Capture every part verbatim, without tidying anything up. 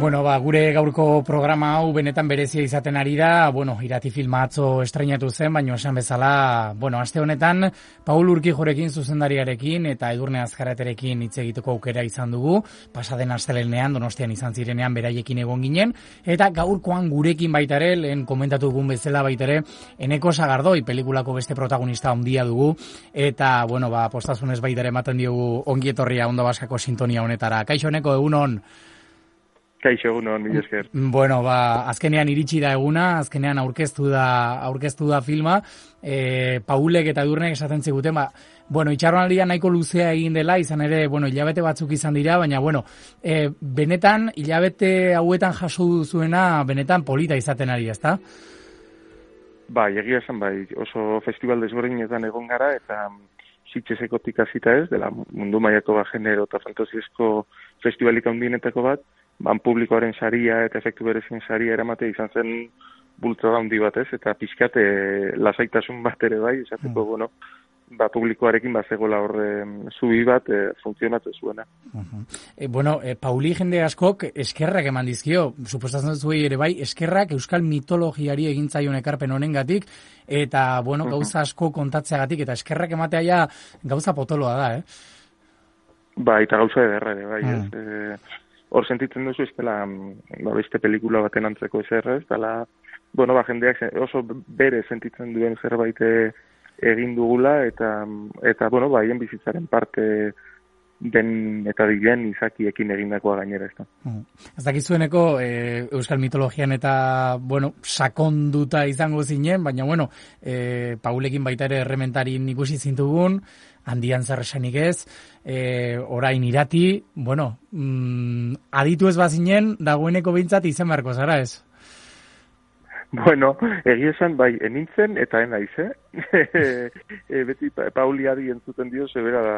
Bueno, ba, gure gaurko programa hau benetan berezia izaten ari da, bueno, Irati filma atzo estreinatu zen, baina esan bezala, bueno, aste honetan, Paul Urkijorekin zuzendariarekin eta Edurne Azkaraterekin hitz egiteko aukera izan dugu, pasaden astelehenean Donostian izan zirenean beraiekin egon ginen, eta gaurkoan gurekin baita ere, lehen komentatu dugun bezala baita ere, Eneko Sagardoi pelikulako beste protagonista handia dugu, eta, bueno, ba, postazunez baita ere ematen diogu ongietorria Onda Baskako sintonia honetara. Kaixo, Eneko, egunon? Kaixo, egunon, mila esker. Bueno, ba, azkenean iritsi da eguna, azkenean aurkeztu da, aurkeztu da filma, e, Paulek eta Edurnek esaten ziguten, ba, bueno, itxaronaldia nahiko luzea egin dela, izan ere, bueno, hilabete batzuk izan dira, baina, bueno, e, benetan, hilabete hauetan jaso duzuena, benetan polita izaten ari, ezta? Bai, egia esan, bai, oso festival desberdinetan egon gara, eta Sitgesekotik hasita ez, dela mundu mailako ba, genero eta fantasiezko festivalik handienetako bat, ban publikoaren saria eta efektu berezien saria eramate izan zen bultzada handi bat ez, eta pixkate lasaitasun bat ere bai, esateko, mm. bueno, ba, publikoarekin bat zegoela horre zubi bat e, funtzionatzen zuena. Uh-huh. E, bueno, e, Pauli jende askok eskerrak eman dizkio, suposatzen zuei ere bai, eskerrak euskal mitologiari egin zaion ekarpen honengatik, eta, bueno, gauza asko kontatzeagatik, eta eskerrak ematea ja gauza potoloa da, eh? Ba, eta gauza ederra ere, bai, mm. ez? E, hor sentitzen duzu, ez dela, ba, beste pelikula baten antzeko ezer, ez dela, bueno, ba, jendeak oso bere sentitzen duen zerbait egin dugula, eta, eta bueno, ba, hien bizitzaren parte den eta diren izakiekin egindakoa gainera, ez da. Mm. Ez dakizueneko, e, euskal mitologian eta, bueno, sakonduta izango zinen, baina, bueno, e, Paulekin baita ere errementarin ikusi zintugun, handian zer esanik ez, e, orain Irati, bueno, mm, aditu ez bazinen, dagoeneko behintzat izan beharko zara ez? Bueno, egia esan, bai, enintzen eta enaiz, eh? e, beti Pauli adi entzuten dio, zebera da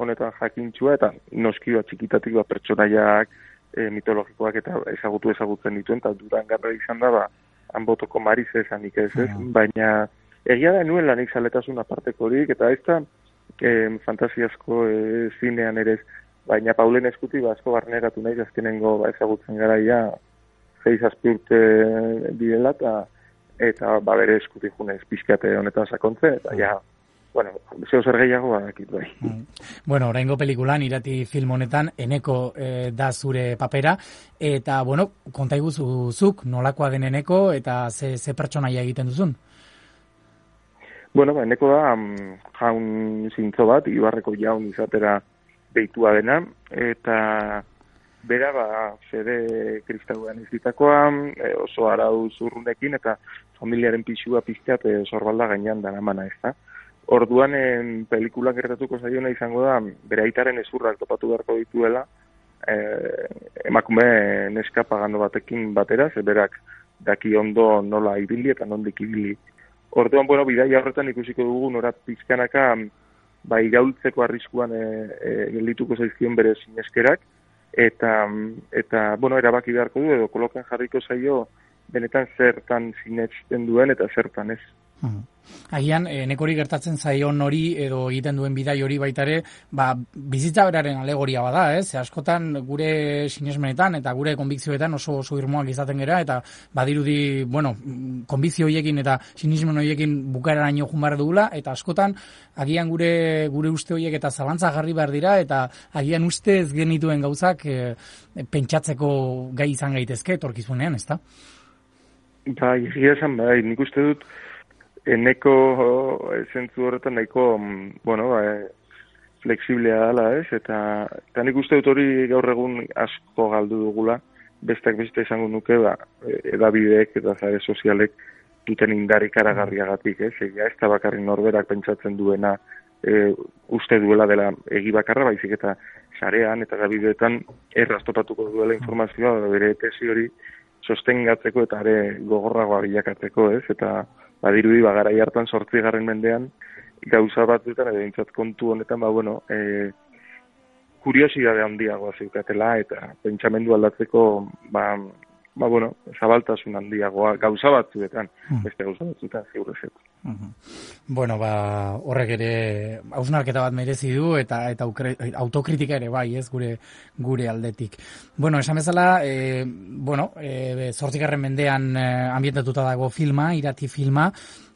honetan jakintxua, eta noski bat txikitatik bat pertsonaiak e, mitologikoak eta ezagutu ezagutzen dituen, eta Durangarra izan da, ba, hanbotoko Mariz esanik ez, ez? Mm. Baina egia da nuen lanik zaletasun aparteko horik, eta ez da e, fantasiazko e, zinean ere ez, baina Paulen eskuti ba, asko barneratu nahi, azkenengo ba, ezagutzen garaia, zeiz azpi urte bidela, eta, eta ba, bere eskuti junez pixkate honetan sakontze, eta ja, bueno, zeo zer gehiago badakit bai. Bueno, oraingo pelikulan, Irati film honetan, Eneko eh, da zure papera, eta, bueno, konta iguzuzuk, nolakoa den Eneko, eta ze, ze pertsonaia egiten duzun? Bueno, ba, Eneko da um, jaun zintzo bat, Ibarreko jaun izatera deitua dena, eta bera, ba, fede kristauan izitakoa, e, oso arau zurrunekin, eta familiaren pixua pizteat e, sorbalda gainean daramana ez da. Orduan, en, pelikulan gertatuko zaiona izango da, bere aitaren ezurrak topatu beharko dituela, e, emakume neska pagando batekin batera, zeberak daki ondo nola ibili eta nondik ibili. Orduan, bueno, bidaia horretan ikusiko dugu, nora pizkanaka, ba, iraultzeko arriskuan e, e, geldituko zaizkion bere sineskerak, eta, eta bueno, erabaki beharko du, edo kolokan jarriko zaio, benetan zertan sinesten duen eta zertan ez. Hmm. Agian, e, nekori gertatzen zaion hori edo egiten duen bidai hori baita ere, ba, bizitza beraren alegoria bada, ez? Ze askotan gure sinesmenetan eta gure konbikzioetan oso oso irmoak izaten gera, eta badirudi, bueno, konbikzio horiekin eta sinesmen horiekin bukaeraraino joan behar dugula, eta askotan agian gure gure uste horiek eta zalantza jarri behar dira, eta agian uste ez genituen gauzak e, pentsatzeko gai izan gaitezke etorkizunean, ezta? Bai, egia esan, bai, nik uste dut Eneko zentzu horretan nahiko, bueno, ba, flexiblea dela, ez? Eta, eta nik uste dut hori gaur egun asko galdu dugula, besteak beste izango nuke, ba, edabideek eta zare sozialek duten indar ikaragarriagatik, ez? Egia ez da bakarrik norberak pentsatzen duena e, uste duela dela egi bakarra, baizik eta sarean eta edabideetan erraztopatuko duela informazioa, bere tesi hori sostengatzeko eta are gogorragoa bilakatzeko, ez? Eta badirudi, ba, garai hartan zortzigarren mendean, gauza batzuetan, edo intzat kontu honetan, ba, bueno, e, kuriosidade handiagoa zeukatela, eta pentsamendu aldatzeko, ba, ba, bueno, zabaltasun handiagoa gauza batzuetan, mm. beste gauza batzuetan ziur ez. Mm-hmm. Bueno, ba, horrek ere hausnarketa bat merezi du eta eta aukre, autokritika ere bai, ez, gure gure aldetik. Bueno, esan bezala, e, bueno, e, zortzigarren mendean e, ambientatuta dago filma, Irati filma,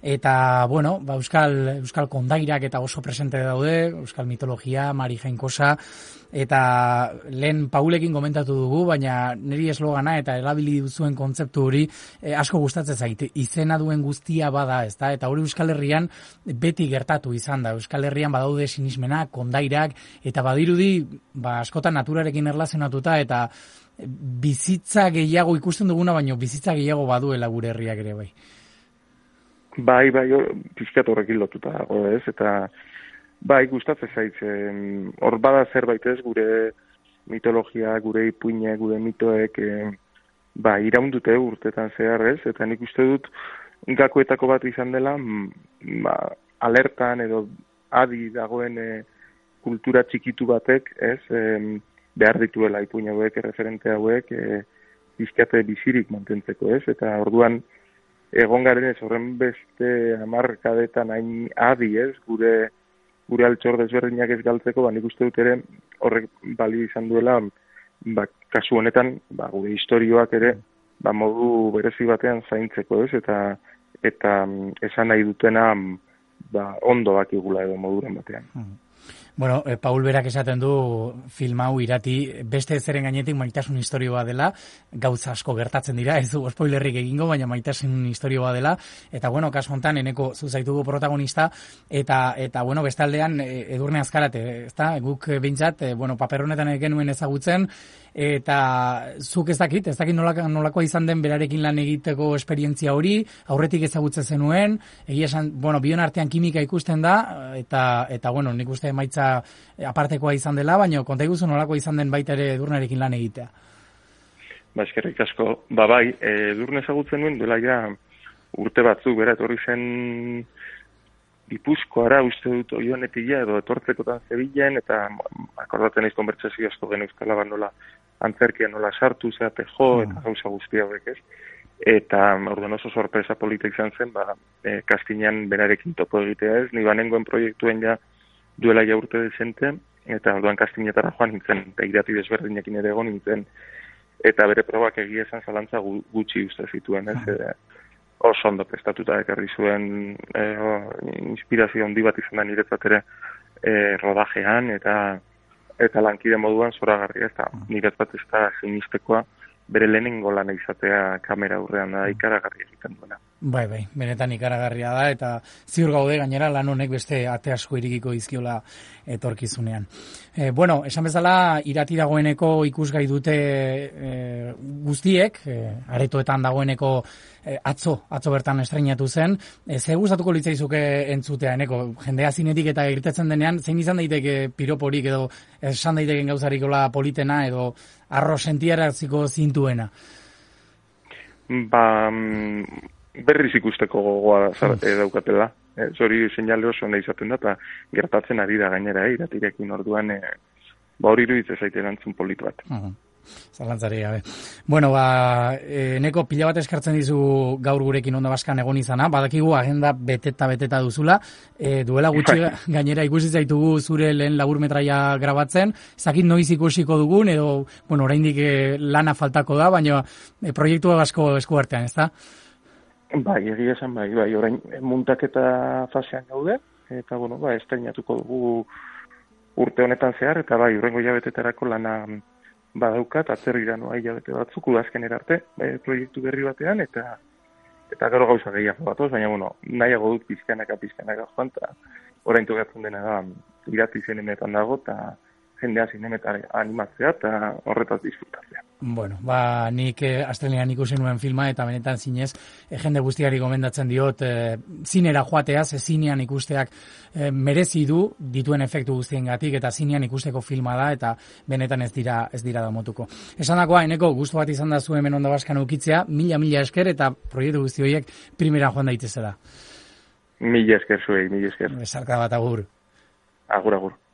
eta, bueno, ba, euskal, euskal kondairak eta oso presente daude, euskal mitologia, Mari Jainkosa, eta lehen Paulekin komentatu dugu, baina niri eslogana eta erabili duzuen kontzeptu hori e, asko gustatzen zait, izena duen guztia bada, ezta? Eta hori Euskal Herrian beti gertatu izan da. Euskal Herrian badaude sinismenak, kondairak, eta badirudi ba, askotan naturarekin erlazionatuta, eta bizitza gehiago ikusten duguna, baino bizitza gehiago baduela gure herriak ere bai. Bai, bai, pizkat horrekin lotuta dago, ez, eta bai, gustatzen zait, hor bada zerbait ez, gure mitologia, gure ipuine, gure mitoek, e, ba, iraundute urtetan zehar ez, eta nik uste dut gakoetako bat izan dela, ba, alertan edo adi dagoen e, kultura txikitu batek, ez, e, behar dituela ipuine hauek, referente hauek, e, bizkate bizirik mantentzeko, ez, eta orduan, egon garen ez horren beste hamarkadetan hain adi ez, gure gure altxor desberdinak ez galtzeko, ba, nik uste dut ere horrek bali izan duela, ba, kasu honetan, ba, gure historioak ere, ba, modu berezi batean zaintzeko ez, eta eta esan nahi dutena ba, ondo bakigula edo moduren batean. Hmm. Bueno, eh, Paul berak esaten du film hau Irati beste zeren gainetik maitasun historioa dela, gauza asko gertatzen dira, ez du spoilerrik egingo, baina maitasun historioa dela, eta bueno, kasu hontan eneko zuzaitugu protagonista, eta eta bueno, bestaldean Edurne Azkarate, ezta? Guk behintzat, e, bueno, paper honetan genuen ezagutzen, eta zuk ez dakit, ez dakit nolako, nolakoa izan den berarekin lan egiteko esperientzia hori, aurretik ezagutzen zenuen, egia esan, bueno, bion artean kimika ikusten da, eta eta bueno, nik uste emaitza apartekoa izan dela, baina konta iguzu nolako izan den baita ere Edurnerekin lan egitea. Ba, eskerrik asko. Ba, bai, Edurne ezagutzen nuen, duela ja urte batzuk, bera, etorri zen Gipuzkoara, uste dut Oionetila edo etortzekotan Zebilen, eta akordaten eiz konbertsazio asko gen euskala bat nola antzerkia nola sartu, zeate jo, eta gauza guzti hauek ez. Eta orduan oso sorpresa polita izan zen, ba, e, kastinean berarekin topo egitea ez, ni banengoen proiektuen ja duela ja urte dezente, eta orduan kastinetara joan nintzen, eta Irati desberdinekin ere egon nintzen, eta bere probak egia esan zalantza gutxi uste zituen ez, e, oso ondo prestatuta ekarri zuen e, inspirazio handi bat izan da niretzat ere e, rodajean eta eta lankide moduan zoragarria, eta niretzat ez da sinistekoa bere lehenengo lana izatea kamera aurrean da ikaragarri egiten duena. Bai, bai, benetan ikaragarria da, eta ziur gaude gainera lan honek beste ate asko irikiko dizkiola etorkizunean. E, bueno, esan bezala, Irati dagoeneko ikusgai dute e, guztiek, e, aretoetan dagoeneko e, atzo, atzo bertan estreinatu zen. E, ze gustatuko litzaizuke entzutea, eneko, jendea zinetik eta irtetzen denean, zein izan daiteke piroporik edo esan daiteken gauzarikola politena edo arro sentiaraziko zintuena? Ba, berriz ikusteko gogoa daukatela. E, zori seinale oso nahi izaten da, eta gertatzen ari da gainera, eh, Iratirekin orduan, e, ba hori iruditzen zaite erantzun polit bat. Uh-huh. Zalantzari gabe. Bueno, ba, e, neko pila bat eskartzen dizu gaur gurekin Onda Baskan egon izana, badakigu agenda beteta beteta duzula, e, duela gutxi gainera ikusi zaitugu zure lehen laburmetraia grabatzen, ezakit noiz ikusiko dugun, edo, bueno, oraindik e, lana faltako da, baina e, proiektu asko eskuartean, ezta? Bai, egia esan bai, bai, orain muntaketa fasean gaude, eta, bueno, ba, estreinatuko dugu urte honetan zehar, eta bai, urrengo jabetetarako lana badaukat, atzerrira noa hilabete batzuk, udazken erarte, bai, proiektu berri batean, eta eta gero gauza gehiago batoz, baina, bueno, nahiago dut pizkanaka, pizkanaka joan, eta orain tokatzen dena da, Irati zinemetan dago, eta jendea zinemetan animatzea, eta horretaz disfrutatzea. Bueno, ba, nik eh, astelenean ikusi nuen filma, eta benetan zinez, eh, jende guztiari gomendatzen diot, eh, zinera joatea, ze zinean ikusteak eh, merezi du dituen efektu guztiengatik, eta zinean ikusteko filma da, eta benetan ez dira ez dira damotuko. Esandakoa, eneko gustu bat izan da zu hemen Onda Baskan ukitzea, mila mila esker, eta proiektu guzti horiek primeran joan daitezela. Mila esker zuei, mila esker. Besarka bat agur. Agur, agur.